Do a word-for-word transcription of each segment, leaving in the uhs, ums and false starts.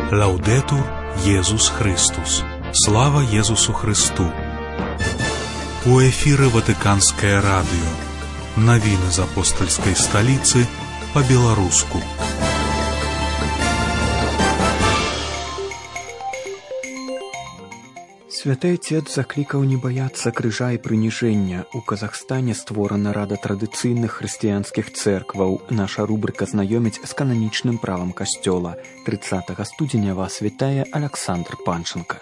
Лаўдэтур Езус Христус. Слава Езусу Христу. У эфіры Ватыканскае радыё. Навіны з апостальскай сталіцы па-беларуску. Святы Отец заклікаў не баяцца крыжа і прыніжэння. У Казахстане створана рада традыцыйных хрысціянскіх цэркваў. Наша рубрыка знаёміць з кананічным правам касцёла. трыццатага студзеня вас вітае Аляксандр Панченка.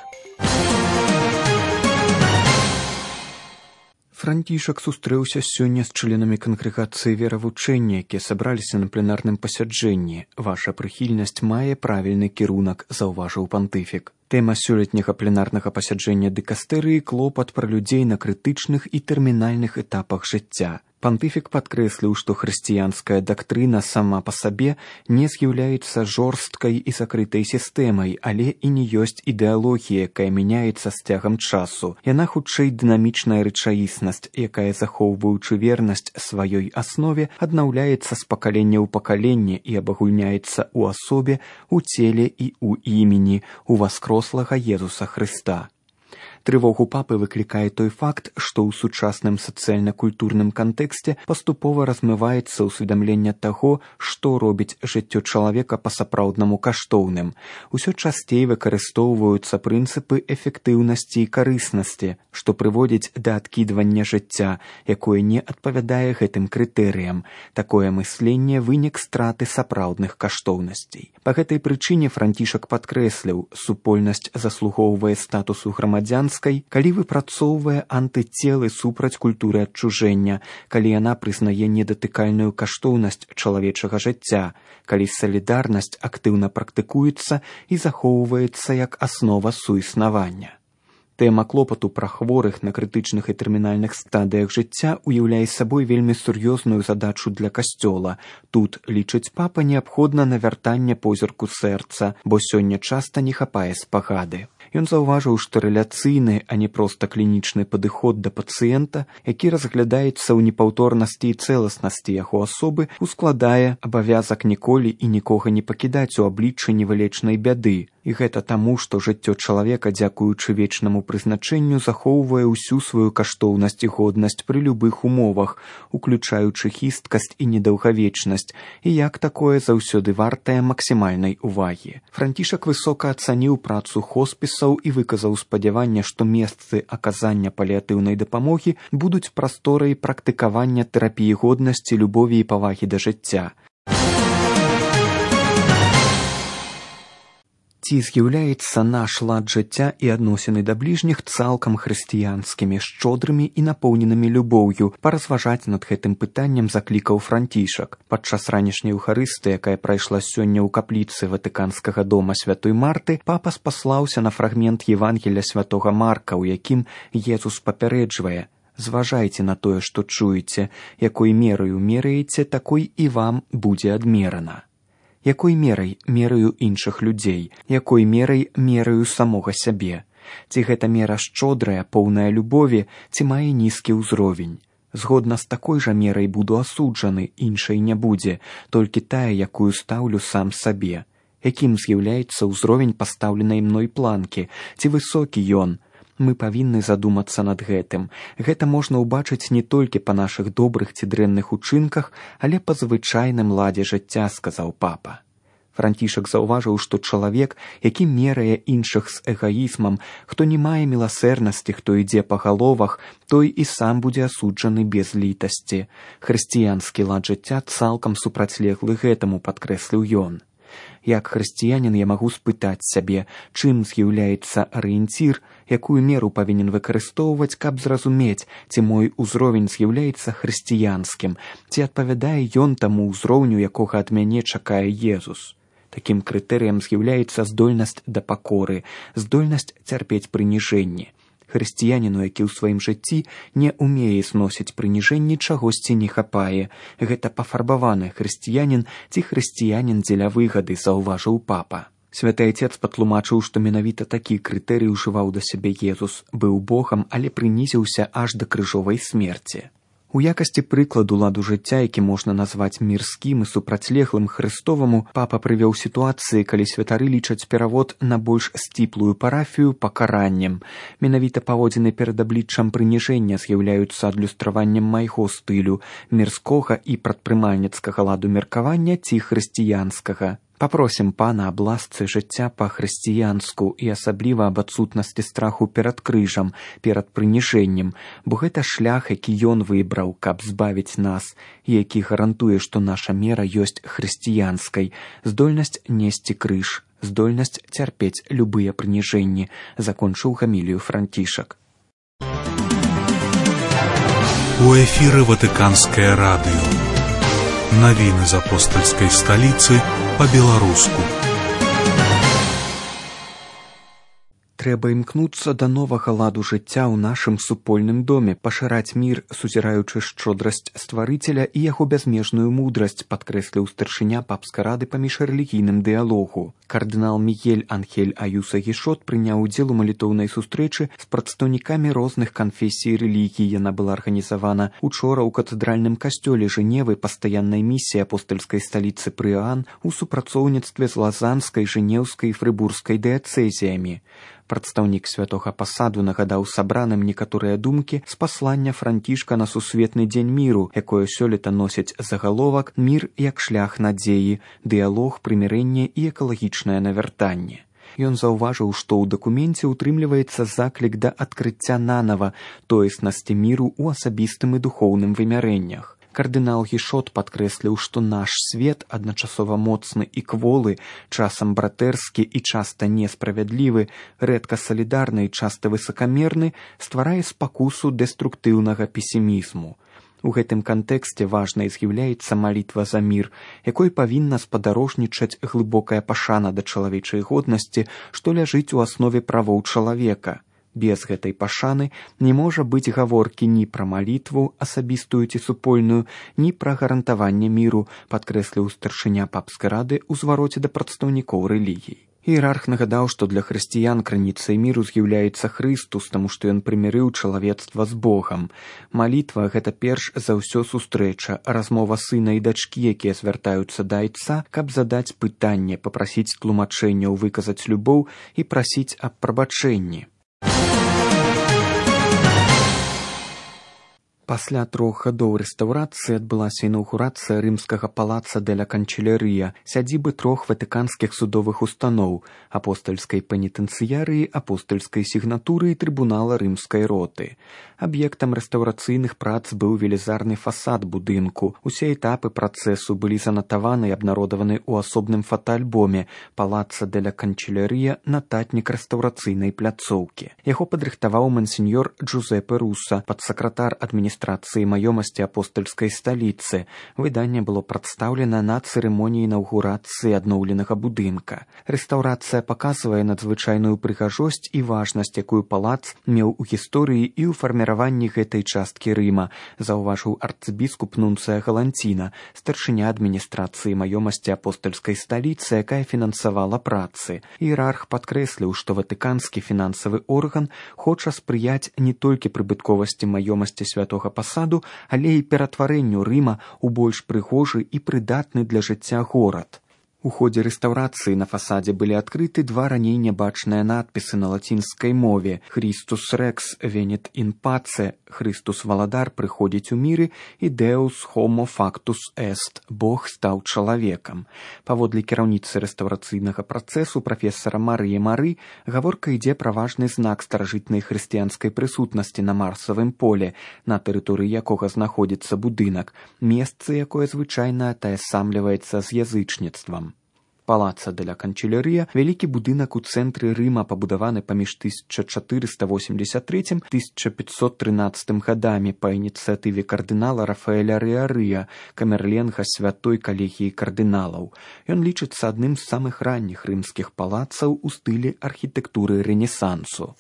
Францішак сустрэўся сёння з членамі кангрэгацыі веравучэння, якія сабраліся на пленарным пасяджэнні. Ваша прыхільнасць мае правільны кірунак, заўважыў пантыфік. Тэма сёлетняга пленарнага пасяджэння дыкастэрыі — клопат пра людзей на крытычных і тэрмінальных этапах жыцця. Пантыфік падкрэсліў, што хрысціянская дактрына сама па сабе не з'яўляецца жорсткай і закрытай сістэмай, але і не ёсць ідэалогія, якая мяняецца з цягам часу. Яна хутчэй дынамічная рэчаіснасць, якая, захоўваючы вернасць сваёй аснове, аднаўляецца з пакалення ў пакаленне і абагульняецца ў асобе, у целе і ў імені, у васкрослага Езуса Хрыста. Трывогу папы выклікае той факт, што ў сучасным сацыяльна-культурным кантэксце паступова размываецца ўсведамленне таго, што робіць жыццё чалавека па-сапраўднаму каштоўным. Усё часцей выкарыстоўваюцца прынцыпы эфектыўнасці і карыснасці, што прыводзіць да адкідвання жыцця, якое не адпавядае гэтым крытэрыям. Такое мысленне — вынік страты сапраўдных каштоўнасцей. Па гэтай прычыне Францішак падкрэсліў, супольнасць заслугоўвае статусу грамадзянства, калі выпрацоўвае антыцелы супраць культуры адчужэння, калі яна прызнае недатыкальную каштоўнасць чалавечага жыцця, калі салідарнасць актыўна практыкуецца і захоўваецца як аснова суіснавання. Тэма клопату пра хворых на крытычных і тэрмінальных стадыях жыцця уяўляе сабой вельмі сур'ёзную задачу для касцёла. Тут, лічыць папа, неабходна навяртанне позірку сэрца, бо сёння часта не хапае спагады. Ён заўважыў, што рэляцыйны, а не проста клінічны падыход да пацыента, які разглядаецца ў непаўторнасці і цэласнасці яго асобы, ускладае абавязак ніколі і нікога не пакідаць у абліччы невылечнай бяды. І гэта таму, што жыццё чалавека, дзякуючы вечнаму прызначэнню, захоўвае ўсю сваю каштоўнасць і годнасць пры любых умовах, уключаючы хісткасць і недаўгавечнасць, і як такое заўсёды вартае максімальнай увагі. Францішак высока ацаніў працу хоспісаў і выказаў спадзяванне, што месцы аказання паліатыўнай дапамогі будуць прасторай практыкавання тэрапіі годнасці, любові і павагі да жыцця. Ці з'яўляецца наш лад жыцця і адносіны да бліжніх цалкам хрысціянскімі, шчодрымі і напоўненымі любоўю? Паразважаць над гэтым пытаннем заклікаў Францішак. Падчас ранішняй еўхарыстыі, якая прайшла сёння ў капліцы Ватыканскага дома святой Марты, папа спаслаўся на фрагмент Евангелля святога Марка, у якім Езус папярэджвае: «Зважайце на тое, што чуеце, якой мераю мераеце, такой і вам будзе адмерана». Якой мерай мераю іншых людзей, якой мерай мераю самога сябе? Ці гэта мера шчодрая, поўная любові, ці мае нізкі ўзровень? Згодна з такой жа мерай буду асуджаны, іншай не будзе, толькі тая, якую стаўлю сам сабе. Якім з'яўляецца ўзровень пастаўленай мной планкі? Ці высокі ён? Мы павінны задумацца над гэтым. Гэта можна ўбачыць не толькі па нашых добрых ці дрэнных учынках, але па звычайным ладзе жыцця, сказаў папа. Францішак заўважыў, што чалавек, які мерае іншых з эгаізмам, хто не мае міласэрнасці, хто ідзе па галовах, той і сам будзе асуджаны без літасці. Хрысціянскі лад жыцця цалкам супрацьлеглы гэтаму, падкрэсліў ён. Як хрысціянін я магу спытаць сябе, чым з'яўляецца арыенцір, якую меру павінен выкарыстоўваць, каб зразумець, ці мой узровень з'яўляецца хрысціянскім, ці адпавядае ён таму ўзроўню, якога ад мяне чакае Езус. Такім крытэрыем з'яўляецца здольнасць да пакоры, здольнасць цярпець прыніжэнні. Хрысціяніну, які ў сваім жыцці не ўмее зносіць прыніжэнні, чагосьці не хапае. Гэта пафарбаваны хрысціянін ці хрысціянін дзеля выгады, заўважыў папа. Святы Отец патлумачыў, што менавіта такі крытэрый ужываў да сябе Езус. Быў Богам, але прынізіўся аж да крыжовай смерці. У якасці прыкладу ладу жыцця, які можна назваць мірскім і супрацьлеглым Хрыстоваму, папа прывёў сітуацыі, калі святары лічаць перавод на больш сціплую парафію пакараннем. Менавіта паводзіны перад абліччам прыніжэння з'яўляюцца адлюстраваннем майго стылю, мірскога і прадпрымальніцкага ладу меркавання ці хрысціянскага. Папросім пана аб ласцы жыцця па-хрысціянску і асабліва аб адсутнасці страху перад крыжам, перад прыніжэннем, бо гэта шлях, які ён выбраў, каб збавіць нас, і які гарантуе, што наша мера ёсць хрысціянскай, здольнасць несці крыж, здольнасць цярпець любыя прыніжэнні, закончыў гамілію Францішак. У эфіры Ватыканскае радыё. Навіны з апостальскай сталіцы па-беларуску. Трэба імкнуцца да новага ладу жыцця ў нашым супольным доме, пашыраць мір, сузіраючы шчодрасць стварыцеля і яго бязмежную мудрасць, падкрэсліў старшыня папскай рады па міжрэлігійным дыялогу. Кардынал Мігель Анхель Аюса Гішот прыняў удзел у малітоўнай сустрэчы з прадстаўнікамі розных канфесій рэлігій. Яна была арганізавана учора ў катэдральным касцёле Жэневы пастаяннай місіі апостальскай сталіцы пры Іаан у супрацоўніцтве з лазанскай, жэнеўскай і фрыбурскай дыяцэзіямі. Прадстаўнік святога пасаду нагадаў сабраным некаторыя думкі з паслання Францішка на сусветны дзень міру, якое сёлета носіць загаловак «Мір як шлях надзеі, дыялог, прымірэнне і экалагічнае навяртанне». Ён заўважыў, што ў дакуменце ўтрымліваецца заклік да адкрыцця нанава тоеснасці міру ў асабістым і духоўным вымярэннях. Кардынал Гішот падкрэсліў, што наш свет адначасова моцны і кволы, часам братэрскі і часта несправядлівы, рэдка салідарны і часта высакамерны, стварае спакусу дэструктыўнага песімізму. У гэтым кантэксце важнай з'яўляецца малітва за мір, якой павінна спадарожнічаць глыбокая пашана да чалавечай годнасці, што ляжыць у аснове правоў чалавека. Без гэтай пашаны не можа быць гаворкі ні пра малітву, асабістую ці супольную, ні пра гарантаванне міру, падкрэсліў старшыня папскай рады ў звароце да прадстаўнікоў рэлігій. Іерарх нагадаў, што для хрысціян крыніцай міру з'яўляецца Хрыстус, таму што ён прымірыў чалавецтва з Богам. Малітва – гэта перш за ўсё сустрэча, размова сына і дачкі, якія звяртаюцца да айца, каб задаць пытанне, папрасіць тлумачэнняў, выказаць любоў і прасіць аб прабачэнні. Пасля трох гадоў рэстаўрацыі адбылася інаўгурацыя рымскага палаца дэ-ля Канчэлярыя, сядзібы трох ватыканскіх судовых устаноў – апостальскай пенітэнцыярыі, апостальскай сігнатуры і трыбунала рымскай роты. Аб'ектам рэстаўрацыйных прац быў велізарны фасад будынку. Усе этапы працэсу былі занатаваны і абнародаваны ў асобным фотаальбоме «Палаца дэ-ля Канчэлярыя. Нататнік рэстаўрацыйнай пляцоўкі». Яго падрыхтаваў мансіньор Джузепе Руса, падсакратар адміністрацыі маёмасці апостальскай сталіцы. Выданне было прадстаўлена на цырымоніі інаўгурацыі адноўленага будынка. Рэстаўрацыя паказвае надзвычайную прыгажосць і важнасць, якую палац меў у гісторыі і ў фарміраванні гэтай часткі Рыма, заўважыў арцыбіскуп Нунцыя Галанціна, старшыня адміністрацыі маёмасці апостальскай сталіцы, якая фінансавала працы. Іерарх падкрэсліў, што ватыканскі фінансавы орган хоча спрыяць не толькі прыбытковасці маёмасці святога пасаду, але і ператварэнню Рыма ў больш прыгожы і прыдатны для жыцця горад. У ходзе рэстаўрацыі на фасадзе былі адкрыты два раней нябачныя надпісы на лацінскай мове «Христус рекс венет ин паце» – «Христус валадар прыходзіць у міры» і «Deus homo factus est» – «Бог стаў чалавекам». Паводле кіраўніцы рэстаўрацыйнага працэсу прафесара Марыі Мары гаворка ідзе пра важны знак старажытнай хрысціянскай прысутнасці на марсавым поле, на тэрыторыі якога знаходзіцца будынак, месца, якое звычайна атаясамліваецца з язычніцтвам. Палаца дэ-ля Канчэлярыя – вялікі будынак у цэнтры Рыма, пабудаваны паміж тысяча чатырыста восемьдесят третьим - тысяча пятьсот тринадцатым гадамі па ініцыятыве кардынала Рафаэля Рыарыя, камерленга святой калегіі кардыналаў. Ён лічыцца адным з самых ранніх рымскіх палацаў у стылі архітэктуры рэнесансу.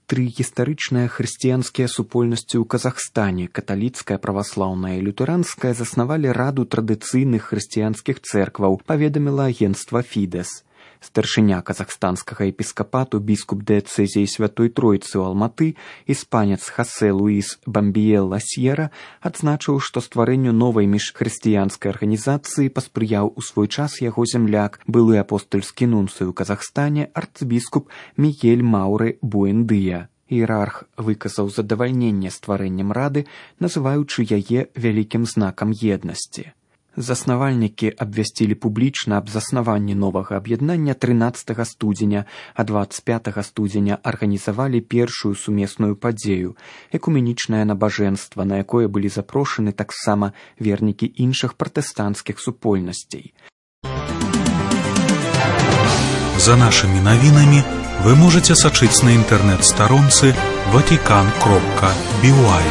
Тры гістарычныя хрысціянскія супольнасці ў Казахстане, каталіцкая, праваслаўная і лютэранская, заснавалі раду традыцыйных хрысціянскіх цэркваў, паведаміла агенцтва «Фідэс». Старшыня казахстанскага епіскапату біскуп дыяцэзіі Святой Тройцы ў Алматы, іспанец Хасе Луіс Бамбіелла Сьера, адзначыў, што стварэнню новай міжхрысціянскай арганізацыі паспрыяў у свой час яго зямляк, былы апостальскі нунцый у Казахстане арцбіскуп Мігель Маўрэ Буэндыя. Іерарх выказаў задавальненне стварэннем рады, называючы яе вялікім знакам еднасці. Заснавальнікі абвясцілі публічна аб заснаванні новага аб'яднання трынаццатага студзеня, а дваццаць пятага студзеня арганізавалі першую сумесную падзею – экуменічнае набажэнства, на якое былі запрошаны таксама вернікі іншых пратэстанцкіх супольнасцей. За нашымі навінамі вы можете сачыць на інтэрнэт-старонцы ватикан кропка би уай.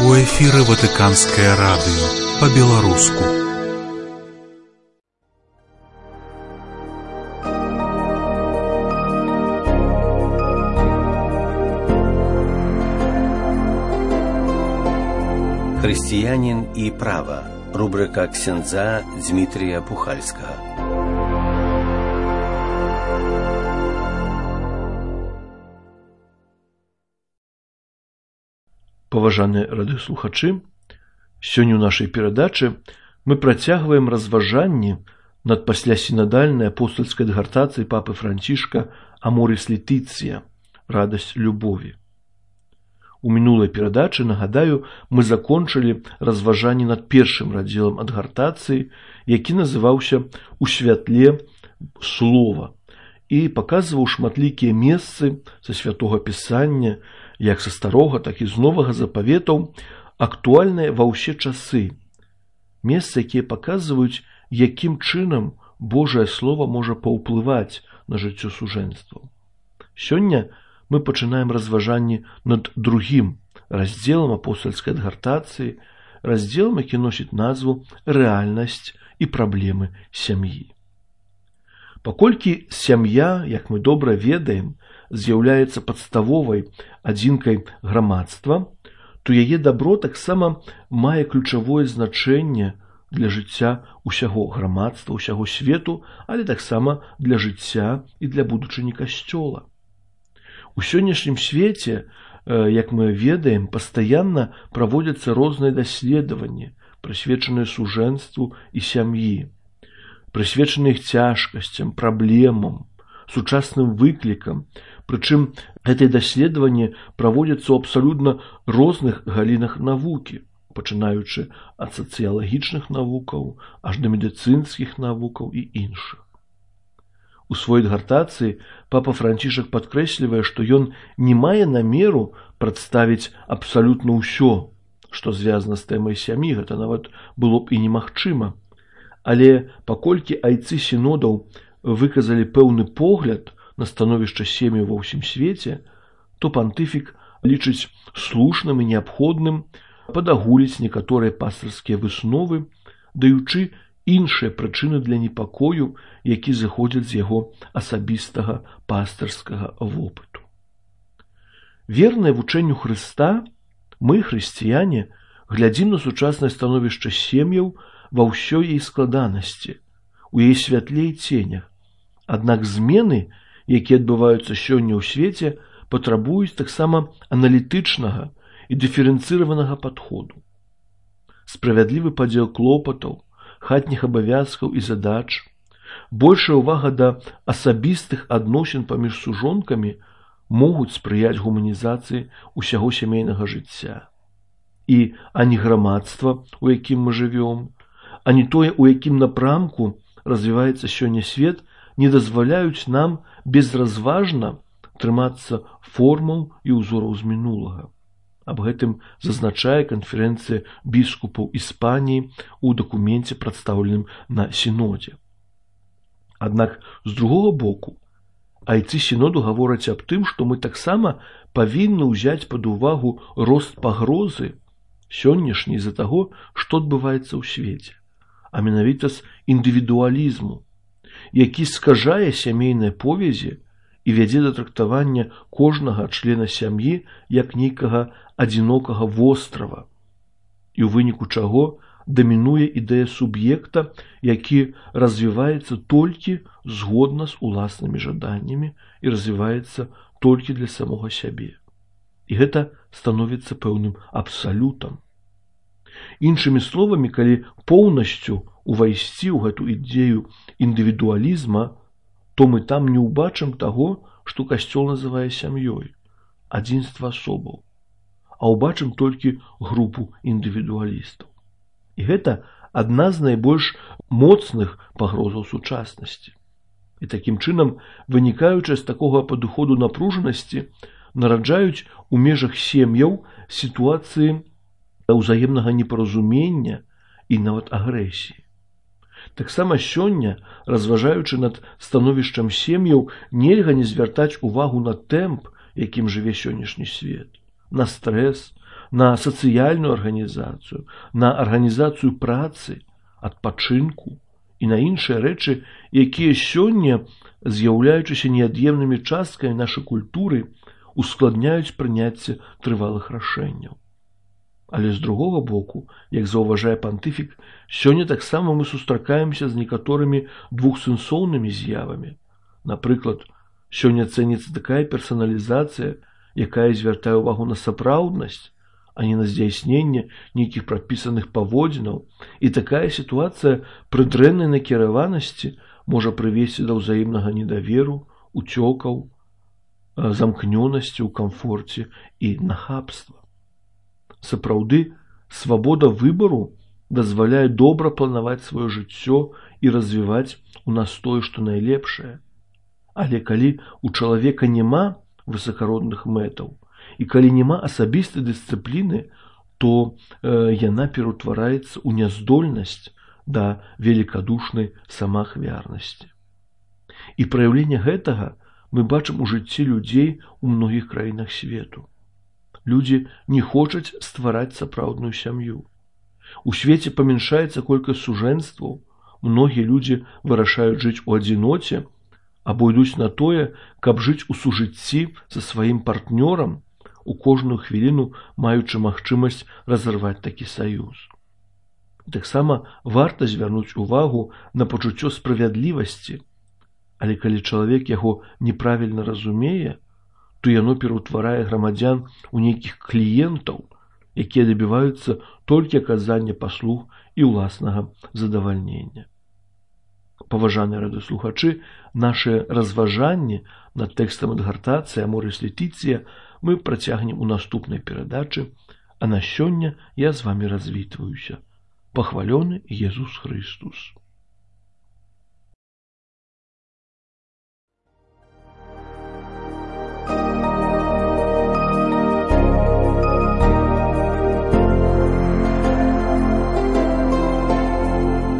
У эфіры Ватыканскае радыё па-беларуску. Христианин и право. Рубрика ксяндза Дмитрия Пухальского. Паважаныя радыёслухачы, сёння ў нашай перадачы мы працягваем разважанні над паслясінадальнай апостальскай дыгартацыяй папы Францішка «Аморис Летиция» – «Радасць любові». У мінулай перадачы, нагадаю, мы закончылі разважанні над першым радзелам адгартацыі, які называўся «У святле слова» і паказваў шматлікія месцы са святога пісання, як са старога, так і з новага запаветаў, актуальныя ва ўсе часы. Месцы, якія паказваюць, якім чынам Божае Слова можа паўплываць на жыццё сужэнстваў. Сёння мы пачынаем разважанні над другім раздзелам апостальскай адгартацыі, раздзелам, які носіць назву «Рэальнасць і праблемы сям'і». Паколькі сям'я, як мы добра ведаем, з'яўляецца падставовай адзінкай грамадства, то яе дабро таксама мае ключавое значэнне для жыцця ўсяго грамадства, ўсяго свету, але таксама для жыцця і для будучыні касцёла. У сённяшнім свеце, як мы ведаем, пастаянна праводзяцца розныя даследаванні, прысвечаныя сужэнству і сям'і, прысвечаныя іх цяжкасцям, праблемам, сучасным выклікам. Прычым гэтыя даследаванні праводзяцца ў абсалютна розных галінах навукі, пачынаючы ад сацыялагічных навукаў аж да медыцынскіх навукаў і іншых. У сваёй адгартацыі папа Францішак падкрэслівае, што ён не мае намеру прадставіць абсалютна ўсё, што звязана з тэмай сям'і, гэта нават было б і немагчыма. Але паколькі айцы сінодаў выказалі пэўны погляд на становішча сем'яў ва ўсім свеце, то пантыфік лічыць слушным і неабходным падагуліць некаторыя пастырскія высновы, даючы іншыя прычыны для непакою, які зыходзяць з яго асабістага пастырскага вопыту. Верныя вучэнню Хрыста, мы, хрысціяне, глядзім на сучаснае становішча сем'яў ва ўсёй яе складанасці, у яе святле і ценях. Аднак змены, якія адбываюцца сёння ў свеце, патрабуюць таксама аналітычнага і дыферэнцыраванага падходу. Справядлівы падзел клопатаў, хатніх абавязкаў і задач, большая ўвага да асабістых адносін паміж сужонкамі могуць спрыяць гуманізацыі ўсяго сямейнага жыцця. І ані грамадства, у якім мы жывём, ані тое, у якім напрамку развіваецца сёння свет, не дазваляюць нам безразважна трымацца формаў і ўзораў з мінулага. Аб гэтым зазначае канферэнцыя біскупаў Іспаніі ў дакуменце, прадстаўленым на сінодзе. Аднак, з другога боку, Айцы сіноду гавораць аб тым, што мы таксама павінны ўзяць пад увагу рост пагрозы сённяшняй з-за таго, што адбываецца ў свеце, а менавіта з індывідуалізму, які скажае сямейныя повязі і вядзе да трактавання кожнага члена сям'і як нейкага адзінокага вострава, і ў выніку чаго дамінуе ідэя суб'екта, які развіваецца толькі згодна з уласнымі жаданнямі і развіваецца толькі для самога сябе. І гэта становіцца пэўным абсалютам. Іншымі словамі, калі поўнасцю увайсці ў гэту ідэю індывідуалізма, то мы там не ўбачым таго, што Касцёл называе сям'ёй, адзінства асобаў, а ўбачым толькі групу індывідуалістаў. І гэта адна з найбольш моцных пагрозаў сучаснасці. І такім чынам, вынікаючы з такога падыходу напружанасці, нараджаюць у межах сем'яў сітуацыі ўзаемнага непаразумення і нават агрэсіі. Таксама сёння, разважаючы над становішчам сем'яў, нельга не звяртаць увагу на тэмп, якім жыве сённяшні свет, на стрэс, на сацыяльную арганізацыю, на арганізацыю працы, адпачынку і на іншыя рэчы, якія сёння, з'яўляючыся неад'емнымі часткамі нашай культуры, ускладняюць прыняцце трывалых рашэнняў. Але з другога боку, як заўважае пантыфік, сёння таксама мы сустракаемся з некаторымі двухсэнсоўнымі з'явамі. Напрыклад, сёння цэніцца такая персаналізацыя, якая звяртае ўвагу на сапраўднасць, а не на здзяйсненне нейкіх прадпісаных паводзінаў, і такая сітуацыя пры дрэннай накіраванасці можа прывесці да ўзаемнага недаверу, уцёкаў, замкнёнасці ў камфорце і нахабства. Сапраўды, свабода выбару дазваляе добра планаваць сваё жыццё і развіваць у нас тое, што найлепшае. Але калі у чалавека няма высакародных мэтаў, і калі няма асабістай дысцыпліны, то э, яна пераўтвараецца ў няздольнасць да великадушнай самаахвярнасці. І праяўленне гэтага мы бачым у жыцці людзей у многіх краінах свету. Людзі не хочуць ствараць сапраўдную сям'ю. У свеце памяншаецца колькасць сужэнстваў, многія людзі вырашаюць жыць у адзіноце, або ідуць на тое, каб жыць у сужыцці са сваім партнёрам, у кожную хвіліну маючы магчымасць разарваць такі саюз. Таксама варта звярнуць увагу на пачуццё справядлівасці, але калі чалавек яго неправільна разумее, то яно пераўтварае грамадзян у нейкіх кліентаў, якія дабіваюцца толькі аказання паслуг і ўласнага задавальнення. Паважаныя радыёслухачы, нашы разважанні над тэкстам адгартацыі Аморис Летіцыя мы працягнем у наступнай перадачы, а на сёння я з вамі развітваюся. Пахвалёны Езус Христус.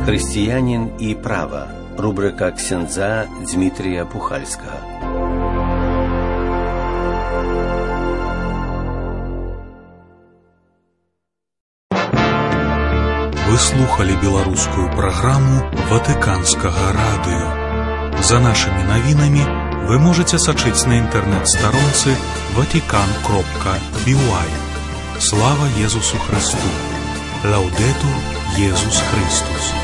Христианин и право. Рубрика ксяндза Дмитрия Пухальского. Вы слухали беларускую праграму Ватыканскага радыё. За нашымі навінамі вы можете сачыць на інтэрнэт-старонцы ватикан кропка би уай. Слава Езусу Христу! Лаудетур Езус Христус!